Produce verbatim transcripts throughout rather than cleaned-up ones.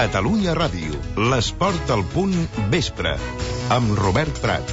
Catalunya Ràdio, l'esport al punt vespre, amb Robert Prat.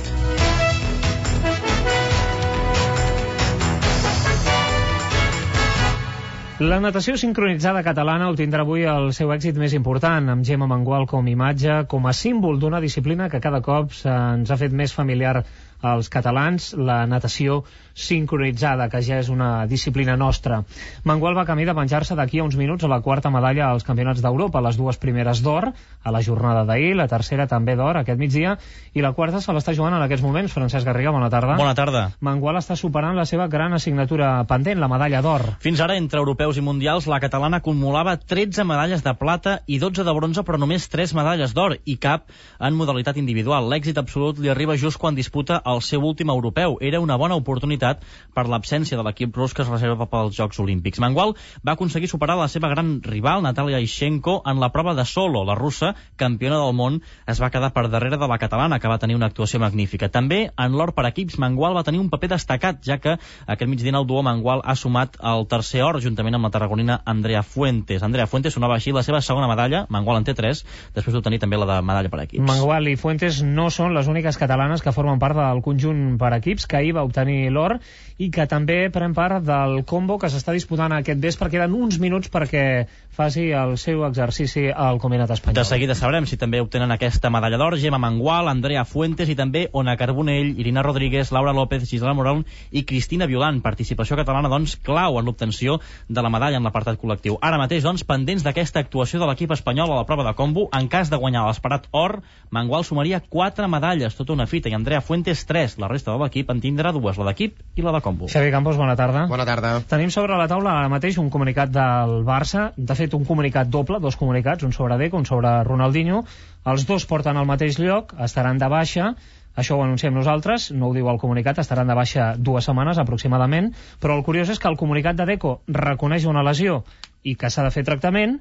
La natació sincronitzada catalana obtindrà avui el seu èxit més important, amb Gemma Mengual com imatge, com a símbol d'una disciplina que cada cop ens ha fet més familiar als catalans, la natació sincronitzada, que ja és una disciplina nostra. Mengual va camí de penjar-se d'aquí a uns minuts a la quarta medalla als Campionats d'Europa, les dues primeres d'or a la jornada d'ahir, la tercera també d'or aquest migdia, i la quarta se l'està jugant en aquests moments. Francesc Garriga, bona tarda. Bona tarda. Mengual està superant la seva gran assignatura pendent, la medalla d'or. Fins ara, entre europeus i mundials, la catalana acumulava tretze medalles de plata i dotze de bronze, però només tres medalles d'or, i cap en modalitat individual. L'èxit absolut li arriba just quan disputa el seu últim europeu. Era una bona oportunitat per l'absència de l'equip rus que es reserva pels Jocs Olímpics. Mengual va aconseguir superar la seva gran rival, Natalia Ishchenko, en la prova de solo. La russa, campiona del món, es va quedar per darrere de la catalana, que va tenir una actuació magnífica. També, en l'or per equips, Mengual va tenir un paper destacat, ja que aquest migdia el duo Mengual ha sumat el tercer or, juntament amb la tarragonina Andrea Fuentes. Andrea Fuentes sonava així la seva segona medalla, Mengual en té tres, després d'obtenir també la de medalla per equips. Mengual i Fuentes no són les úniques catalanes que formen part del conjunt per equips, que ahir va obtenir l'or i que també pren part del combo que s'està disputant aquest vespre. Queden uns minuts perquè faci el seu exercici al Combinat Espanyol. De seguida sabrem si també obtenen aquesta medalla d'or Gemma Mengual, Andrea Fuentes i també Ona Carbonell, Irina Rodríguez, Laura López, Gisela Morón i Cristina Violant. Participació catalana, doncs, clau en l'obtenció de la medalla en l'apartat col·lectiu. Ara mateix, doncs, pendents d'aquesta actuació de l'equip espanyol a la prova de combo, en cas de guanyar l'esperat or, Mengual sumaria quatre medalles, tota una fita, i Andrea Fuentes tres. La resta de l'equip en tindrà dues, la d'equip i la de combo. Xavi Campos, bona tarda. Bona tarda. Tenim sobre la taula ara mateix un comunicat del Barça, de fet un comunicat doble, dos comunicats, un sobre Deco, un sobre Ronaldinho. Els dos porten al mateix lloc, estaran de baixa, això ho anunciem nosaltres, no ho diu el comunicat, estaran de baixa dues setmanes aproximadament, però el curiós és que el comunicat de Deco reconeix una lesió i que s'ha de fer tractament,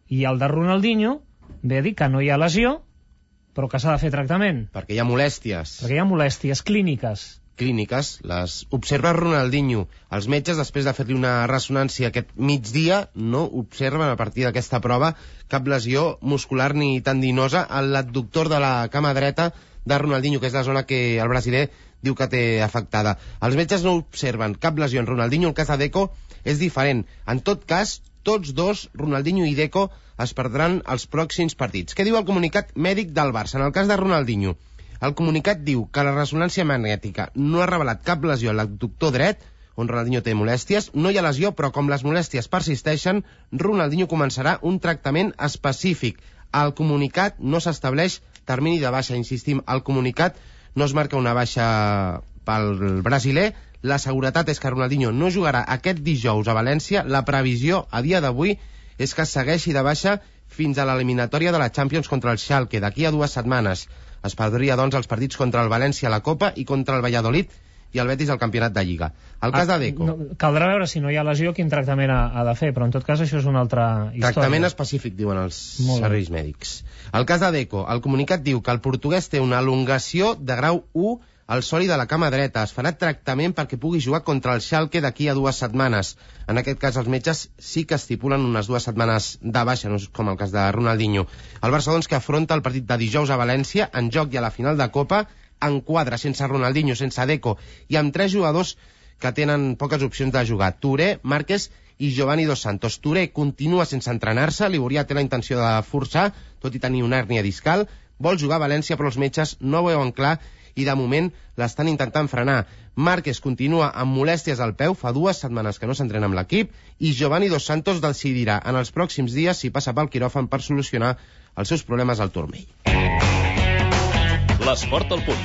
i el de Ronaldinho ve a dir que no hi ha lesió, però que s'ha de fer tractament. Perquè hi ha molèsties. Perquè hi ha molèsties clíniques. clíniques, les observa Ronaldinho. Els metges, després de fer-li una ressonància aquest migdia, no observen a partir d'aquesta prova cap lesió muscular ni tendinosa a l'adductor de la cama dreta de Ronaldinho, que és la zona que el brasiler diu que té afectada. Els metges no observen cap lesió en Ronaldinho. El cas de Deco és diferent. En tot cas, tots dos, Ronaldinho i Deco, es perdran els pròxims partits. Què diu el comunicat mèdic del Barça? En el cas de Ronaldinho, el comunicat diu que la ressonància magnètica no ha revelat cap lesió a l'adductor dret, on Ronaldinho té molèsties. No hi ha lesió, però com les molèsties persisteixen, Ronaldinho començarà un tractament específic. Al comunicat no s'estableix termini de baixa. Insistim, al comunicat no es marca una baixa pel brasiler. La seguretat és que Ronaldinho no jugarà aquest dijous a València. La previsió a dia d'avui és que segueixi de baixa fins a l'eliminatòria de la Champions contra el Schalke d'aquí a dues setmanes. Es perdria, doncs, els partits contra el València a la Copa i contra el Valladolid i el Betis al Campionat de Lliga. El cas de Deco... No, caldrà veure si no hi ha lesió quin tractament ha, ha de fer, però en tot cas això és una altra història. Tractament específic, diuen els serveis mèdics. El cas de Deco, el comunicat diu que el portuguès té una elongació de grau u al soli de la cama dreta. Es farà tractament perquè pugui jugar contra el Schalke d'aquí a dues setmanes. En aquest cas, els metges sí que estipulen unes dues setmanes de baixa, no és com el cas de Ronaldinho. El Barça, doncs, que afronta el partit de dijous a València, en joc i a la final de Copa, en quadre, sense Ronaldinho, sense Deco, i amb tres jugadors que tenen poques opcions de jugar: Touré, Márquez i Giovanni Dos Santos. Touré continua sense entrenar-se, Liborià té la intenció de forçar, tot i tenir una hèrnia discal, vol jugar a València, però els metges no ho veuen clar i de moment l'estan intentant frenar. Márquez continua amb molèsties al peu, fa dues setmanes que no s'entrena amb l'equip, i Giovanni Dos Santos decidirà en els pròxims dies si passa pel quiròfan per solucionar els seus problemes al turmell. L'esport al punt.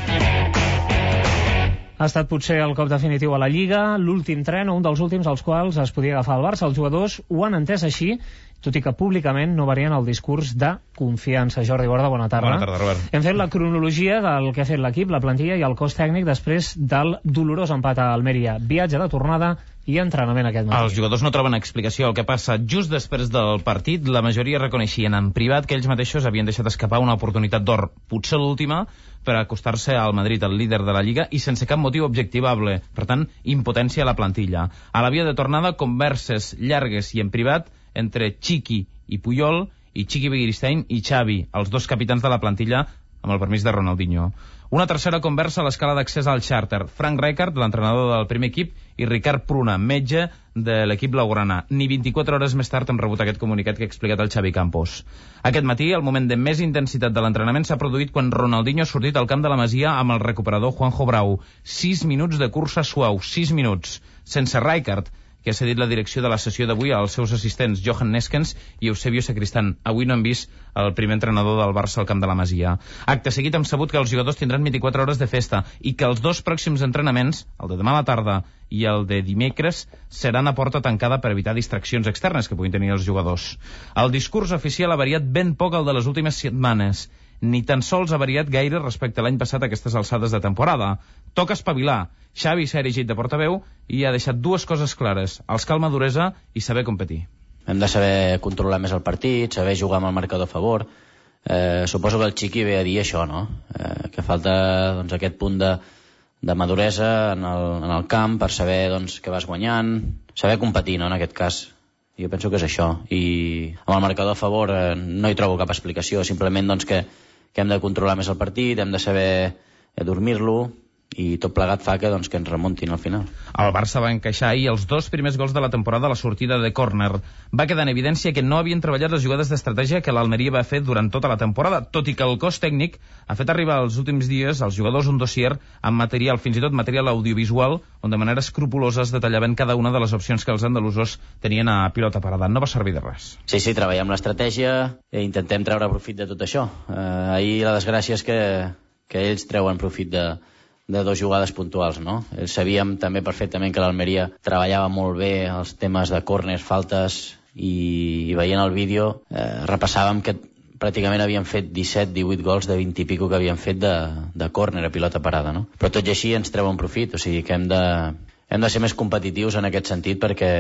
Ha estat potser el cop definitiu a la Lliga, l'últim tren o un dels últims als quals es podia agafar el Barça. Els jugadors ho han entès així, tot i que públicament no varien el discurs de confiança. Jordi Borda, bona tarda. Bona tarda, Robert. Hem fet la cronologia del que ha fet l'equip, la plantilla i el cos tècnic després del dolorós empat a Almeria. Viatge de tornada i entrenament aquest matí. Els jugadors no troben explicació. El que passa just després del partit, la majoria reconeixien en privat que ells mateixos havien deixat escapar una oportunitat d'or, potser l'última, per acostar-se al Madrid, el líder de la Lliga, i sense cap motiu objectivable. Per tant, impotència a la plantilla. A la via de tornada, converses llargues i en privat entre Chiqui i Puyol, i Chiqui Begiristain i Xavi, els dos capitans de la plantilla, amb el permís de Ronaldinho. Una tercera conversa a l'escala d'accés al xàrter. Frank Rijkaard, l'entrenador del primer equip, i Ricard Pruna, metge de l'equip blaugrana. Ni vint-i-quatre hores més tard hem rebut aquest comunicat que ha explicat el Xavi Campos. Aquest matí, el moment de més intensitat de l'entrenament s'ha produït quan Ronaldinho ha sortit al camp de la Masia amb el recuperador Juanjo Brau. Sis minuts de cursa suau, sis minuts, sense Rijkaard, que ha cedit la direcció de la sessió d'avui als seus assistents Johan Neskens i Eusebio Sacristán. Avui no hem vist el primer entrenador del Barça al camp de la Masia. Acte seguit hem sabut que els jugadors tindran vint-i-quatre hores de festa i que els dos pròxims entrenaments, el de demà a la tarda i el de dimecres, seran a porta tancada per evitar distraccions externes que puguin tenir els jugadors. El discurs oficial ha variat ben poc el de les últimes setmanes. Ni tan sols ha variat gaire respecte a l'any passat a aquestes alçades de temporada. Toca espavilar. Xavi s'ha erigit de portaveu i ha deixat dues coses clares: els cal maduresa i saber competir. Hem de saber controlar més el partit, saber jugar amb el marcador a favor. Eh, suposo que el Chiqui ve a dir això, no? Eh, que falta doncs, aquest punt de, de maduresa en el, en el camp per saber doncs, que vas guanyant, saber competir, no?, en aquest cas. Jo penso que és això. I amb el marcador a favor eh, no hi trobo cap explicació, simplement doncs, que, que hem de controlar més el partit, hem de saber eh, dormir-lo, i tot plegat fa que, doncs, que ens remuntin al final. El Barça va encaixar ahir els dos primers gols de la temporada a la sortida de córner. Va quedar en evidència que no havien treballat les jugades d'estratègia que l'Almeria va fer durant tota la temporada, tot i que el cos tècnic ha fet arribar els últims dies als jugadors un dossier amb material, fins i tot material audiovisual, on de manera escrupulosa es detallaven cada una de les opcions que els andalusos tenien a pilota parada. No va servir de res. Sí, sí, treballem l'estratègia i intentem treure profit de tot això. Eh, ahir la desgràcia és que, que ells treuen profit de de dues jugades puntuals, no? Sabíem també perfectament que l'Almeria treballava molt bé els temes de córners, faltes, i, i veient el vídeo eh, repassàvem que pràcticament havien fet disset divuit gols de vint i pico que havien fet de, de córner a pilota parada, no? Però tot i així ens treuen profit, o sigui que hem de, hem de ser més competitius en aquest sentit perquè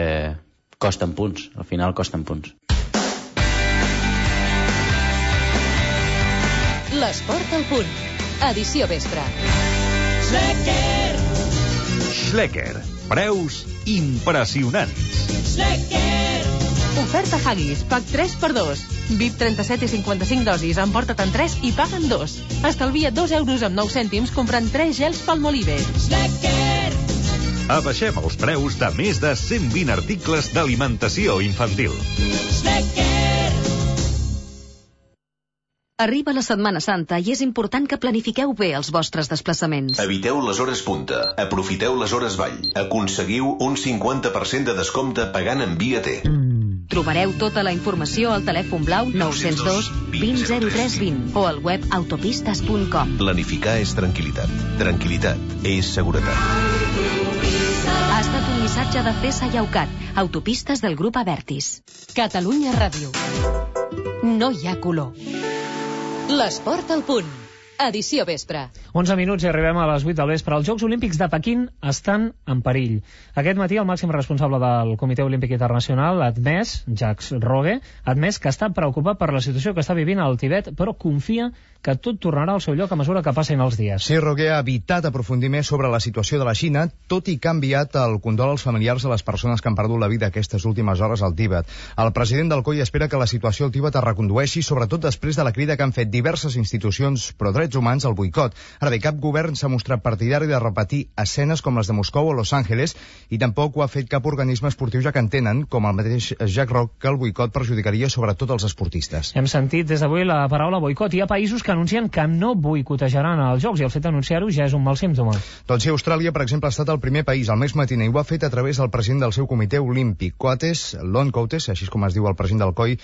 costen punts, al final costen punts. L'esport al punt. Edició vespre. Schlecker. Schlecker. Preus impressionants. Schlecker. Oferta Haggis, pack tres per dos. V I P trenta-set i cinquanta-cinc dosis, emporta-te'n tres i paguen dos. Estalvia dos euros amb nou cèntims comprant tres gels Palmolive. Schlecker. Abaixem els preus de més de cent vint articles d'alimentació infantil. Schlecker. Arriba la Setmana Santa i és important que planifiqueu bé els vostres desplaçaments. Eviteu les hores punta, aprofiteu les hores vall. Aconseguiu un cinquanta per cent de descompte pagant en Via T. Trobareu tota la informació al telèfon blau nou zero dos vint zero tres vint o al web autopistes punt com. Planificar és tranquil·litat. Tranquil·litat és seguretat. Ha estat un missatge de C E S A i Aucat, autopistes del grup Avertis. Catalunya Ràdio. No hi ha color. L'esport al punt. Edició vespre. onze minuts i arribem a les vuit del vespre. Els Jocs Olímpics de Pequín estan en perill. Aquest matí el màxim responsable del Comitè Olímpic Internacional ha admès, Jacques Rogge, ha admès que està preocupat per la situació que està vivint al Tibet, però confia que tot tornarà al seu lloc a mesura que passin els dies. Sí, Rogge ha evitat aprofundir més sobre la situació de la Xina, tot i que ha enviat el condol als familiars de les persones que han perdut la vida aquestes últimes hores al Tibet. El president del C O I espera que la situació al Tibet es recondueixi, sobretot després de la crida que han fet diverses institucions pro drets humans al boicot. Ara bé, cap govern s'ha mostrat partidari de repetir escenes com les de Moscou o Los Angeles, i tampoc ho ha fet cap organisme esportiu, ja que entenen, com el mateix Jacques Rogge, que el boicot perjudicaria sobretot els esportistes. Hem sentit des d'avui la paraula boicot. Hi ha països que anuncien que no boicotejaran els Jocs i el fet d'anunciar-ho ja és un mal símptoma. Doncs sí, Austràlia, per exemple, ha estat el primer país al mes matiner i ho ha fet a través del president del seu comitè olímpic, Coates, Lon Coates, així com es diu el president del C O I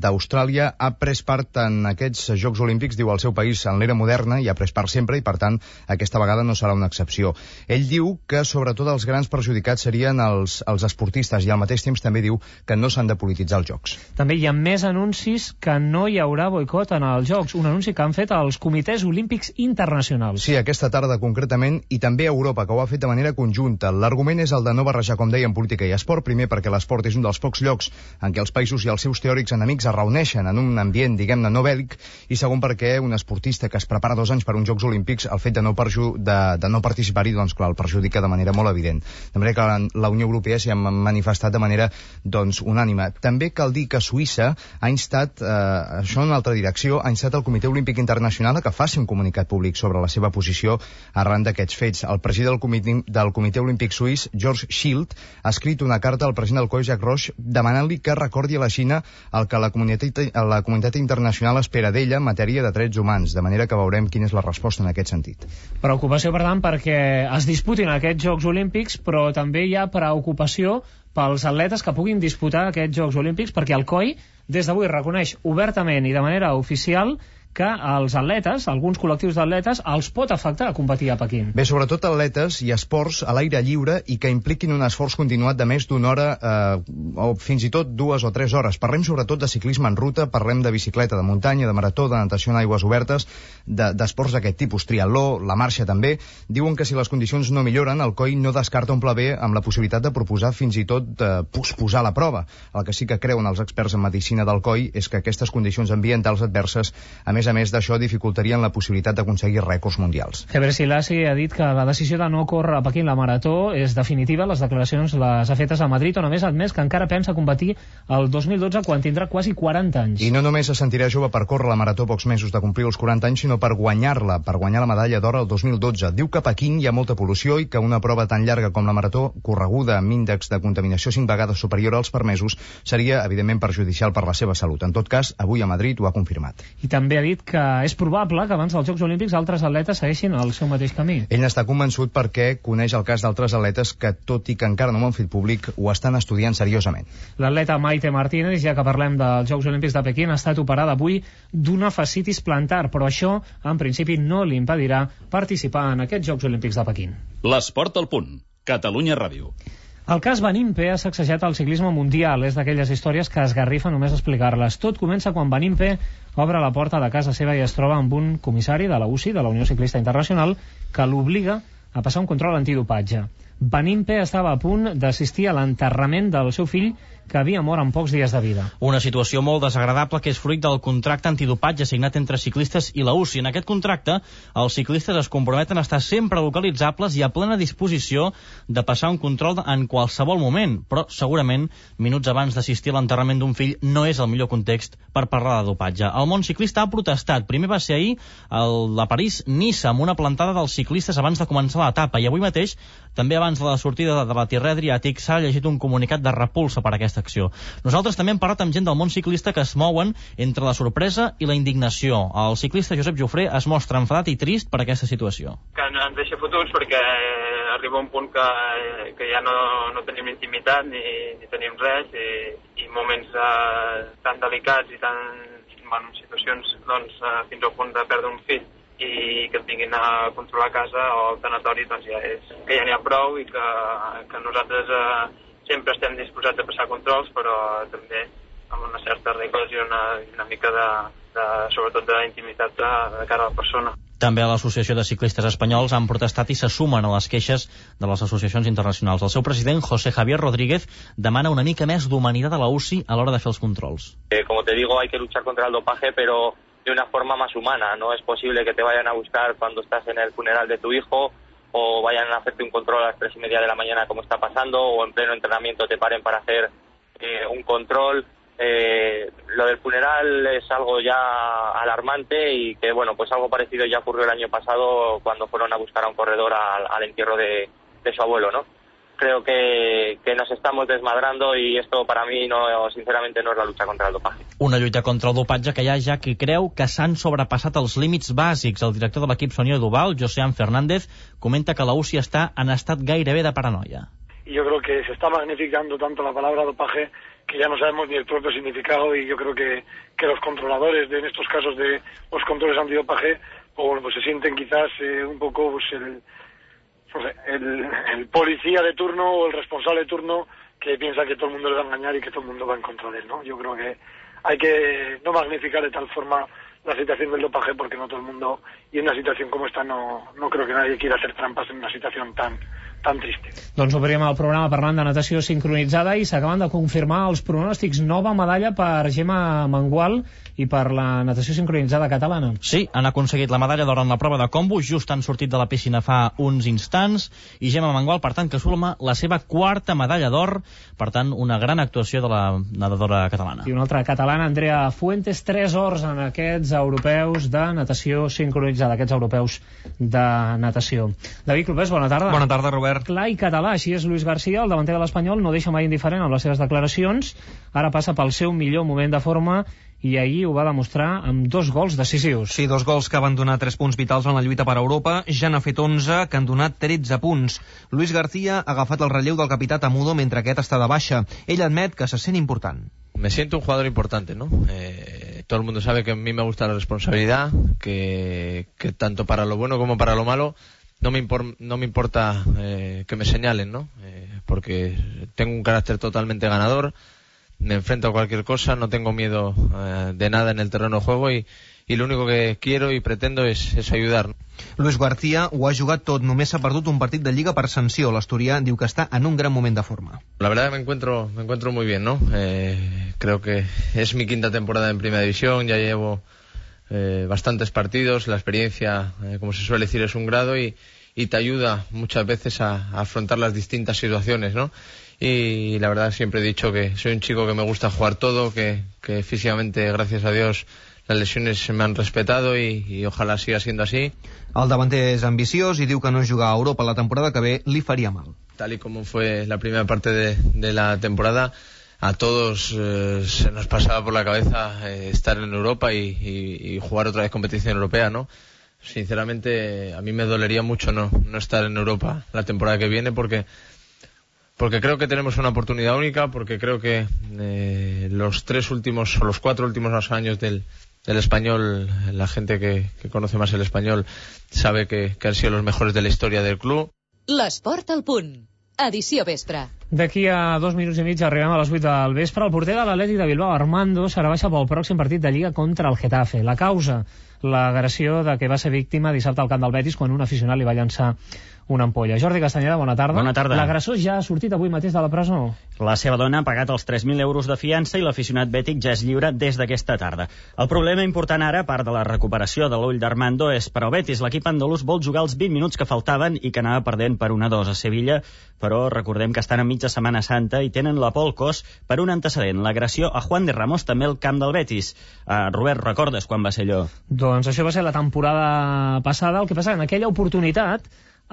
d'Austràlia, ha pres part en aquests Jocs Olímpics, diu el seu país, en l'era moderna, i ha pres part sempre, i per tant aquesta vegada no serà una excepció. Ell diu que sobretot els grans perjudicats serien els, els esportistes i al mateix temps també diu que no s'han de polititzar els Jocs. També hi ha més anuncis que no hi haurà boicot en els Jocs, un anunci que han fet els comitès olímpics internacionals. Sí, aquesta tarda concretament, i també a Europa, que ho ha fet de manera conjunta. L'argument és el de no barrejar, com dèiem, política i esport, primer perquè l'esport és un dels pocs llocs en què els països i els seus teòrics enemics es reuneixen en un ambient, diguem-ne, no bèl·lic, i segon perquè un esportista que es prepara dos anys per uns Jocs Olímpics, el fet de no, perju de, de no participar-hi, doncs clar, el perjudica de manera molt evident. De manera que la, la Unió Europea s'hi ha manifestat de manera doncs, unànime. També cal dir que Suïssa ha instat, eh, això en una altra direcció, ha instat el Comitè Olímpic Internacional a que faci un comunicat públic sobre la seva posició arran d'aquests fets. El president del Comitè, del Comitè Olímpic Suís, George Schild, ha escrit una carta al president del C O I, Jacques Roche, demanant-li que recordi a la Xina el que la comunitat, la comunitat internacional espera d'ella en matèria de drets humans, de manera que veurem quina és la resposta en aquest sentit. Preocupació, per tant, perquè es disputin aquests Jocs Olímpics, però també hi ha preocupació pels atletes que puguin disputar aquests Jocs Olímpics, perquè el C O I des d'avui reconeix obertament i de manera oficial que els atletes, alguns col·lectius d'atletes, els pot afectar a competir a Pequín. Bé, sobretot atletes i esports a l'aire lliure i que impliquin un esforç continuat de més d'una hora eh, o fins i tot dues o tres hores. Parlem sobretot de ciclisme en ruta, parlem de bicicleta, de muntanya, de marató, de natació en aigües obertes, d'esports de, d'aquest tipus, triatló, la marxa també. Diuen que si les condicions no milloren, el C O I no descarta un pla B amb la possibilitat de proposar fins i tot eh, posposar la prova. El que sí que creuen els experts en medicina del C O I és que aquestes condicions ambientals adverses, a més a més d'això, dificultarien la possibilitat d'aconseguir rècords mundials. Heber Selassie ha dit que la decisió de no córrer a Pequín la marató és definitiva. Les declaracions les ha fetes a Madrid, on a més ha admès que encara pensa competir el dos mil dotze quan tindrà quasi quaranta anys. I no només se sentirà jove per córrer la marató pocs mesos de complir els quaranta anys, sinó per guanyar-la, per guanyar la medalla d'or el dos mil dotze. Diu que a Pequín hi ha molta pol·lució i que una prova tan llarga com la marató, correguda amb índex de contaminació cinc vegades superior als permesos, seria evidentment perjudicial per la seva salut. En tot cas, avui a Madrid ho ha confirmat. I també ha dit que és probable que abans dels Jocs Olímpics altres atletes segueixin el seu mateix camí. Ell n'està convençut perquè coneix el cas d'altres atletes que, tot i que encara no ho han fet públic, ho estan estudiant seriosament. L'atleta Maite Martínez, ja que parlem dels Jocs Olímpics de Pequín, ha estat operada avui d'una fascitis plantar, però això, en principi, no li impedirà participar en aquests Jocs Olímpics de Pequín. L'Esport al punt. Catalunya Ràdio. El cas Benimpe ha sacsejat el ciclisme mundial. És d'aquelles històries que esgarrifa només explicar-les. Tot comença quan Benimpe obre la porta de casa seva i es troba amb un comissari de la U C I, de la Unió Ciclista Internacional, que l'obliga a passar un control antidopatge. Benimpe estava a punt d'assistir a l'enterrament del seu fill, que havia mort en pocs dies de vida. Una situació molt desagradable que és fruit del contracte antidopatge signat entre ciclistes i la U C I. En aquest contracte, els ciclistes es comprometen a estar sempre localitzables i a plena disposició de passar un control en qualsevol moment, però segurament minuts abans d'assistir a l'enterrament d'un fill no és el millor context per parlar de dopatge. El món ciclista ha protestat. Primer va ser ahir el de París-Niça, amb una plantada dels ciclistes abans de començar l'etapa, i avui mateix, també abans de la sortida de la Tirrè Adriàtic, s'ha llegit un comunicat de repulsa per aquesta acció. Nosaltres també hem parlat amb gent del món ciclista que es mouen entre la sorpresa i la indignació. El ciclista Josep Jofré es mostra enfadat i trist per aquesta situació. Que ens deixa fotuts perquè arriba un punt que, que ja no, no tenim intimitat ni, ni tenim res i, i moments uh, tan delicats i tan, bueno, situacions doncs, uh, fins al punt de perdre un fill i que et vinguin a controlar a casa o al tanatori, doncs ja és que ja n'hi ha prou i que, que nosaltres uh, sempre estem disposats a passar controls, però també amb una certa regles i una, una mica de, de sobretot d'intimitat de, de cara a la persona. També a l'Associació de Ciclistes Espanyols han protestat i se sumen a les queixes de les associacions internacionals. El seu president, José Javier Rodríguez, demana una mica més d'humanitat a la U C I a l'hora de fer els controls. Eh, como te digo, hay que luchar contra el dopaje, pero de una forma más humana. No es posible que te vayan a buscar cuando estás en el funeral de tu hijo o vayan a hacerte un control a las tres y media de la mañana como está pasando, o en pleno entrenamiento te paren para hacer eh, un control. Eh, lo del funeral es algo ya alarmante y que, bueno, pues algo parecido ya ocurrió el año pasado cuando fueron a buscar a un corredor al, al entierro de, de su abuelo, ¿no? Creo que, que nos estamos desmadrando y esto para mí no, sinceramente no es la lucha contra el dopaje. Una lluita contra el dopatge que hi ha ja qui creu que s'han sobrepassat els límits bàsics. El director de l'equip Sonido Duval, Josean Fernández, comenta que la U C I està en estat gairebé de paranoia. Y yo creo que se está magnificando tanto la palabra dopaje que ya no sabemos ni el propio significado, y yo creo que, que los controladores de en estos casos de los controles antidopaje o, bueno, pues se sienten quizás eh, un poco pues, el... El, el policía de turno o el responsable de turno que piensa que todo el mundo le va a engañar y que todo el mundo va en contra de él, ¿no? Yo creo que hay que no magnificar de tal forma la situación del dopaje, porque no todo el mundo, y en una situación como esta no, no creo que nadie quiera hacer trampas en una situación tan tan triste. Doncs obrim el programa parlant de natació sincronitzada i s'acaben de confirmar els pronòstics. Nova medalla per Gemma Mengual i per la natació sincronitzada catalana. Sí, han aconseguit la medalla d'or en la prova de combo, just han sortit de la piscina fa uns instants, i Gemma Mengual, per tant, que suma la seva quarta medalla d'or, per tant, una gran actuació de la nedadora catalana. I una altra catalana, Andrea Fuentes, tres ors en aquests europeus de natació sincronitzada, aquests europeus de natació. David Clopés, bona tarda. Bona tarda, Robert. Clar i català, així és Luis García, el davanter de l'Espanyol, no deixa mai indiferent amb les seves declaracions, ara passa pel seu millor moment de forma i ahir ho va demostrar amb dos gols decisius. Sí, dos gols que van donar tres punts vitals en la lluita per Europa, ja n'ha fet onze, que han donat tretze punts. Luis García ha agafat el relleu del capità Tamudo mentre aquest està de baixa. Ell admet que se sent important. Me siento un jugador importante, ¿no? Eh, todo el mundo sabe que a mí me gusta la responsabilidad, que, que tanto para lo bueno como para lo malo no me, impor, no me importa eh, que me señalen, ¿no? Eh, porque tengo un carácter totalmente ganador, me enfrento a cualquier cosa, no tengo miedo eh, de nada en el terreno de juego y, y lo único que quiero y pretendo es, es ayudar. Luis García ho ha jugat tot, només s'ha perdut un partit de Lliga per sanció. L'asturià diu que està en un gran moment de forma. La verdad que me encuentro, me encuentro muy bien, ¿no? Eh, creo que es mi quinta temporada en Primera División, ya llevo eh, bastantes partidos, la experiencia, eh, como se suele decir, es un grado y, y te ayuda muchas veces a, a afrontar las distintas situaciones, ¿no? Y la verdad siempre he dicho que soy un chico que me gusta jugar todo, que, que físicamente, gracias a Dios, las lesiones me han respetado y, y ojalá siga siendo así. El davanter és ambiciós i diu que no jugar a Europa la temporada que ve li faria mal. Tal y como fue la primera parte de, de la temporada, a todos eh, se nos pasaba por la cabeza eh, estar en Europa y, y, y jugar otra vez competición europea, ¿no? Sinceramente, a mí me dolería mucho no, no estar en Europa la temporada que viene porque porque creo que tenemos una oportunidad única, porque creo que eh, los tres últimos o los cuatro últimos años del, del español, la gente que, que conoce más el español sabe que, que han sido los mejores de la historia del club. L'Esport al punt. Edició vespre. D'aquí a dos minuts i mig arribem a les vuit del vespre. El porter de l'Atlètic de Bilbao, Armando, serà baixa pel pròxim partit de Lliga contra el Getafe. La causa, l'agressió de què va ser víctima dissabte al camp del Betis quan un aficionat li va llançar una ampolla. Jordi Castanyeda, bona tarda. Bona tarda. L'agressor ja ha sortit avui mateix de la presó? La seva dona ha pagat els tres mil euros de fiança i l'aficionat bètic ja és lliure des d'aquesta tarda. El problema important ara, a part de la recuperació de l'ull d'Armando, és per al Betis. L'equip andalús vol jugar els vint minuts que faltaven i que anava perdent per una dos a Sevilla, però recordem que estan a mitja Setmana Santa i tenen la por al cos per un antecedent, l'agressió a Juan de Ramos també al camp del Betis. Uh, Robert, recordes quan va ser allò? Doncs això va ser la temporada passada. El que passa en aquella oportunitat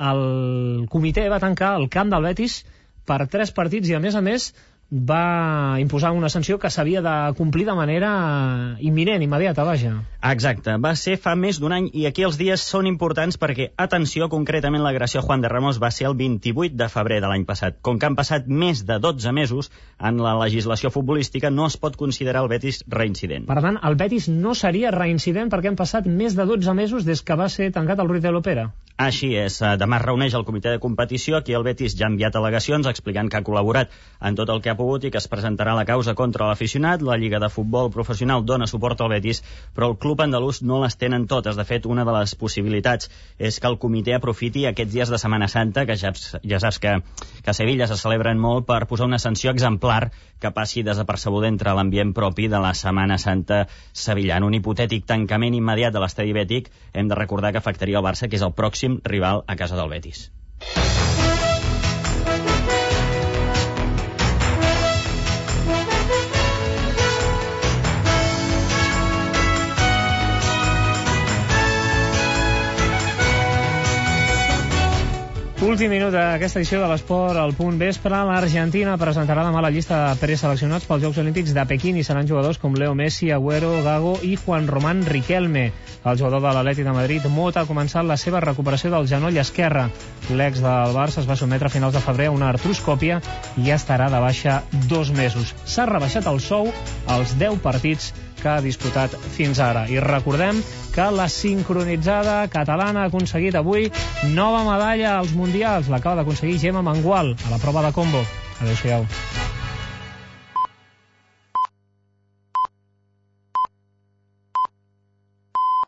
el comitè va tancar el camp del Betis per tres partits i, a més a més, va imposar una sanció que s'havia de complir de manera imminent, immediata, vaja. Exacte, va ser fa més d'un any i aquí els dies són importants perquè, atenció, concretament l'agressió a Juan de Ramos va ser el vint-i-vuit de febrer de l'any passat. Com que han passat més de dotze mesos, en la legislació futbolística no es pot considerar el Betis reincident. Per tant, el Betis no seria reincident perquè han passat més de dotze mesos des que va ser tancat el Ruiz de l'Opera. Així és, demà es reuneix el comitè de competició, aquí el Betis ja ha enviat al·legacions explicant que ha col·laborat en tot el que ha pogut i que es presentarà la causa contra l'aficionat. La Lliga de Futbol Professional dona suport al Betis, però el club andalús no les tenen totes. De fet, una de les possibilitats és que el comitè aprofiti aquests dies de Setmana Santa, que ja, ja saps que, que a Sevilla se celebren molt, per posar una sanció exemplar que passi desapercebuda entre l'ambient propi de la Setmana Santa sevillana. Un hipotètic tancament immediat de l'estadi bètic hem de recordar que afectaria el Barça, que és el pròxim rival a casa del Betis. Últim minut d'aquesta edició de l'Esport al punt vespre. L'Argentina presentarà demà la llista de preseleccionats pels Jocs Olímpics de Pequín i seran jugadors com Leo Messi, Agüero, Gago i Juan Román Riquelme. El jugador de l'Atlètic de Madrid, Mota, ha començat la seva recuperació del genoll esquerre. L'ex del Barça es va sotmetre a finals de febrer a una artroscòpia i ja estarà de baixa dos mesos. S'ha rebaixat el sou als deu partits que ha disputat fins ara. I recordem que la sincronitzada catalana ha aconseguit avui nova medalla als Mundials. L'acaba d'aconseguir Gemma Mengual a la prova de combo. Adéu-siau.